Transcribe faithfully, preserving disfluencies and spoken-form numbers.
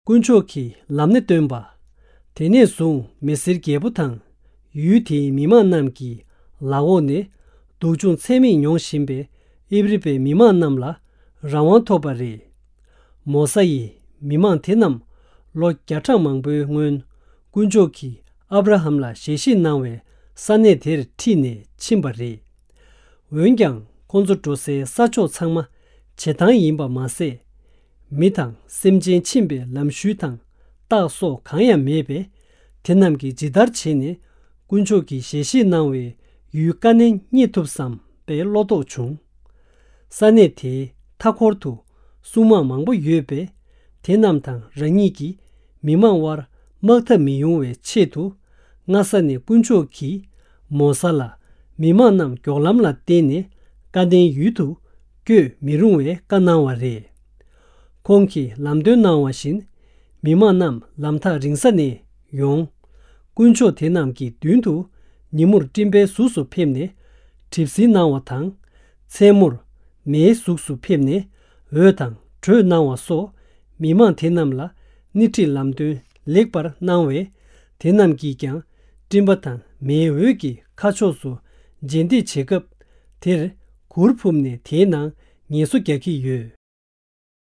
དཀོན་མཆོག་གིས་ལམ་སྣེ་སྟོན་པ། དེ་ནས་བཟུང་མི་སེར་རྒྱལ་པོ་དང་། ཡུལ་དེའི་མི་མང་རྣམས་ཀྱི་ལག་འོག་ནས་སྡུག་སྦྱོང་ཚད་མེད་མྱོང་བཞིན་པའི་ཨིབ་རི་པའི་མི་མང་རྣམས་ལ་རང་དབང་ཐོབ་པ་རེད། མོ་ས་ཡིས་མི་མང་དེ་རྣམས་ལོ་བརྒྱ་ཕྲག་མང་པོའི་སྔོན་དཀོན་མཆོག་གིས་ཨབ་ར་ཧམ་ལ་ཞལ་བཞེས་གནང་བའི་ས་གནས་དེར་ཁྲིད་ནས་ཕྱིན་པ་རེད། འོན་ཀྱང་ཁོང་ཚོ་འགྲོ་སའི་ས་ཕྱོགས་ཚང་མ་བྱེ་ཐང་ཡིན་པ་མ་ཟད། མི་དང་སེམས་ཅན་ཕྱིན་པའི་ལམ་ཤུལ་དང་རྟགས་སོགས་གང་ཡང་མེད་པས། དེ་རྣམས་ཀྱིས་ཇི་ལྟར་བྱས་ནས་དཀོན་མཆོག་གིས་ཞལ་བཞེས་གནང་བའི་ཡུལ་ཀ་ནན་རྙེད་ཐུབ་བསམ་པའི་བློ་དོགས་བྱུང་། ས་གནས་དེའི་མཐའ་འཁོར་དུ་སྲུང་དམག་མང་པོ་ཡོད་པས། དེ་རྣམས་དང་རང་ཉིད་ཀྱིས་མི་མང་དབར་དམག་འཐབ་མི་ཡོང་བའི་ཆེད་དུ། སྔ་ས་ནས་དཀོན་མཆོག་གིས་མོ་ས་ལ་མི་མང་རྣམས་མགྱོགས་ལམ་ལ་བརྟེན་ནས་ཀ་ནན་ཡུལ་དུ་བསྐྱོད་མི་རུང་བའི་བཀའ་གནང་བ་རེད། ཁོང་གིས་ལམ་སྟོན་གནང་བ་བཞིན་མི་མང་རྣམས་ལམ་ཐག་རིང་ས་ནས་ཡོང་། དཀོན་མཆོག་དེ་རྣམས་ཀྱི་མདུན་དུ་ཉིན་མོར་སྤྲིན་པའི་གཟུགས་སུ་ཕེབས་ནས་གྲིབ་བསིལ་གནང་བ་དང་། མཚན་མོར་མེའི་གཟུགས་སུ་ཕེབས་ནས་འོད་དང་དྲོད་གནང་བ་སོགས་མི་མང་དེ་རྣམས་ལ་སྣེ་ཁྲིད་ལམ་སྟོན་ལེགས་པར་གནང་བས། དེ་རྣམས་ཀྱིས་ཀྱང་སྤྲིན་པ་དང་མེའི་འོད་ཀྱི་ཁ་ཕྱོགས་སུ་རྗེས་འདེད་བྱེད་སྐབས། དེར་གུར་ཕུབ་ནས་དེའི་ནང་ངལ་གསོ་རྒྱག་གི་ཡོད།